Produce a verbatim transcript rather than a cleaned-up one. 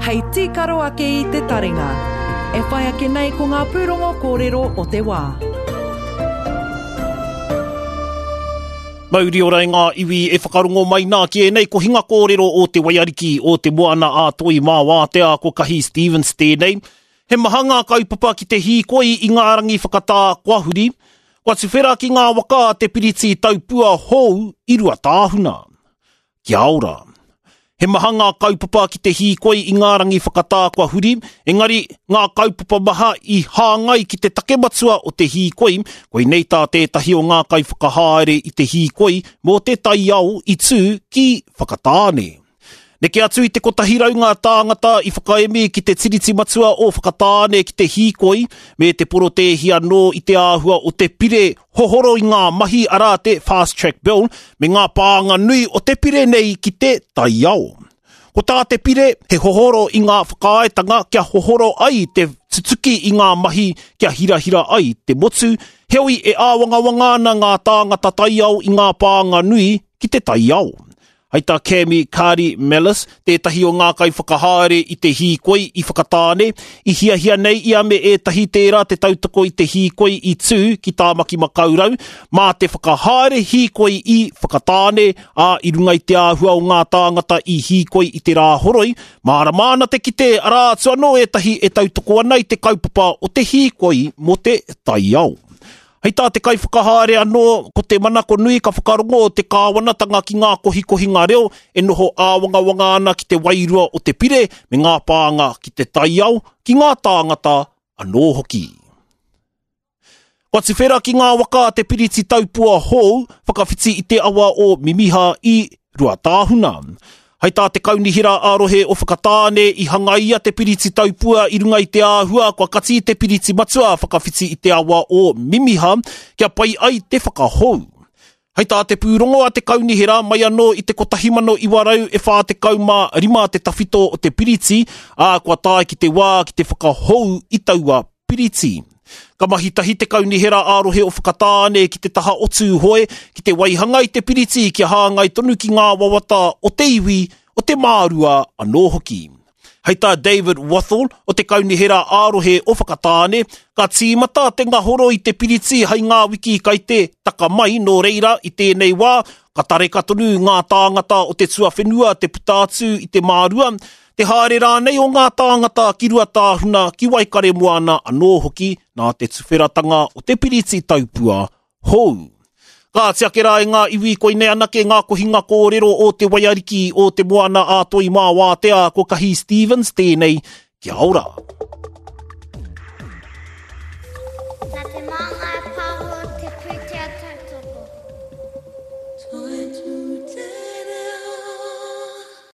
hei tīkaro ake i te taringa. E whai ake nei ko ngā pūrongo kōrero o te wā. Mauri ora e ngā iwi e whakarongo mai nā ki ēnei kohinga kōrero o te Waiariki o te Moana a Toi mā Wātea ko Kahi Stevens tēnei. He maha ngā kaupapa ki te hīkoi i ngā rangi whakatā kua huri, kua tuwhera ki ngā waka te piriti taupua hou i Ruatāhuna. Kia ora. He maha ngā kaupapa ki te hīkoi i ngā rangi whakatā kua huri, engari ngā kaupapa maha i hāngai ki te take matua o te hīkoi, koinei tā tētahi o ngā kaiwhakahaere i te hīkoi mō te taiao i tū ki Whakatāne. Neke atu i te kotahi rau ngā tāngata i whakaemi ki te tiriti matua o Whakatāne ki te hīkoi, me te porotēhi anō i te āhua o te pire hohoro i ngā mahi arā te Fast Track Bill me ngā pānga nui o te pire nei ki te taiao. Ko tā te pire, he hohoro i ngā whakaaetanga kia hohoro ai te tutuki i ngā mahi kia hirahira ai te motu, heoi e āwangawanga ana ngā tāngata taiao i ngā pānga nui ki te taiao. Hei tā Kami Kari Mellis, tētahi o ngā kaiwhakahaere i te hīkoi i Whakatāne, i hiahia nei ia me ētahi tērā te tautoko i te hīkoi i tū ki Tāmaki Makaurau, mā te whakahaere hīkoi i Whakatāne, ā i runga i te āhua o ngā tāngata i hīkoi i te rā horoi, mārama ana te kite arā atu anō ētahi e tautoko ana i te kaupapa o te hīkoi mō te taiao. Hei tā te kaiwhakahaere anō, ko te manako nui ka whakarongo o te kāwanatanga ki ngā kohikohinga reo e noho āwangawanga ana ki te wairua o te pire me ngā pānga ki te taiao, ki ngā tāngata anō hoki. Kua tuwhera ki ngā waka te piriti taupua hou whakawhiti i te awa o Mimiha i Ruatāhuna. Hei tā te kaunihera ā-rohe o Whakatāne i hangaia te piriti taupua i runga i te āhua kua kati te piriti matua whakawhiti i te awa o Mimiha kia pai ai te whakahou. Hei tā te pūrongo a te kaunihera mai anō i te kotahi mano iwa rau e whā tekau mā rima te tawhito o te piriti, ā kua tae ki te wā ki te whakahou i taua piriti. Ka mahi tahi te kaunihera ā-rohe o Whakatāne ki te taha o Tūhoe, ki te waihanga i te piriti kia hāngai tonu ki ngā wawata o te iwi, o te mārua anō hoki. Hei tā David Wathall o te kaunihera ā-rohe o Whakatāne, ka tīmata te ngahoro i te piriti hei ngā wiki kai te taka mai nō reira i tēnei wā, ka tareka tonu ngā tāngata o te tuawhenua te puta atu i te mārua, te haere rānei o ngā tāngata ki Ruatāhuna, ki Waikaremoana anō hoki nā te tuwheratanga o te piriti taupua hou. Ka ati ake rā e ngā iwi koinei anake ngā kohinga kōrero o te Waiariki o te Moana a Toi mā Wātea ko Kahi Stevens tēnei, kia ora. Nā te Māngai Pāho te pūtea tautoko.